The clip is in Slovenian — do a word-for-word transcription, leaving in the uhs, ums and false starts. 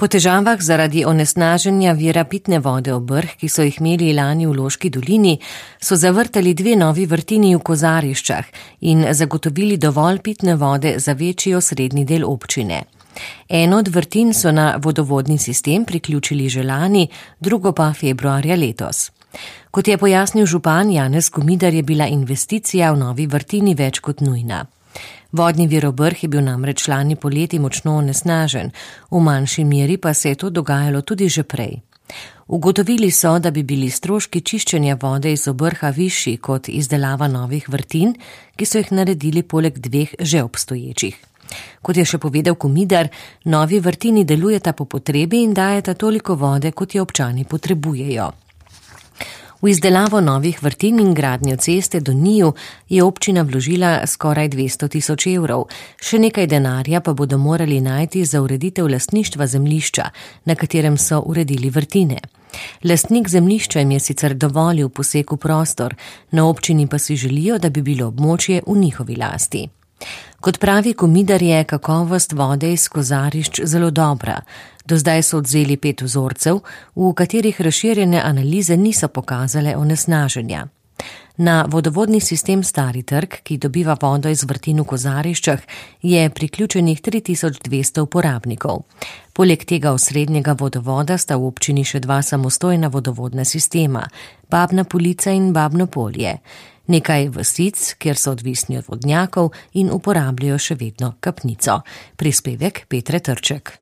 Po težavah zaradi onesnaženja vira pitne vode Obrh, ki so jih imeli lani v Loški dolini, so zavrtali dve novi vrtini v Kozariščah in zagotovili dovolj pitne vode za večji osrednji del občine. Eno od vrtin so na vodovodni sistem priključili že lani, drugo pa februarja letos. Kot je pojasnil župan Janez Komidar, je bila investicija v novi vrtini več kot nujna. Vodni vir Obrh je bil namreč lani poleti močno onesnažen, v manjši meri pa se je to dogajalo tudi že prej. Ugotovili so, da bi bili stroški čiščenja vode iz Obrha višji kot izdelava novih vrtin, ki so jih naredili poleg dveh že obstoječih. Kot je še povedal Komidar, novi vrtini delujeta po potrebi in dajeta toliko vode, kot je občani potrebujejo. V izdelavo novih vrtin in gradnjo ceste do njiju je občina vložila skoraj dvesto tisoč evrov, še nekaj denarja pa bodo morali najti za ureditev lastništva zemljišča, na katerem so uredili vrtine. Lastnik zemljišča jim je sicer dovolil poseg v prostor, na občini pa si želijo, da bi bilo območje v njihovi lasti. Kot pravi Komidar, je kakovost vode iz Kozarišč zelo dobra. Do zdaj so odzeli pet vzorcev, v katerih razširjene analize niso pokazale onesnaženja. Na vodovodni sistem Stari trg, ki dobiva vodo iz vrtin v Kozariščah, je priključenih tri tisoč dvesto uporabnikov. Poleg tega osrednjega vodovoda sta v občini še dva samostojna vodovodna sistema, Babna Polica in Babno Polje. Nekaj vasic, kjer so odvisni od vodnjakov in uporabljajo še vedno kapnico. Prispevek Petre Trček.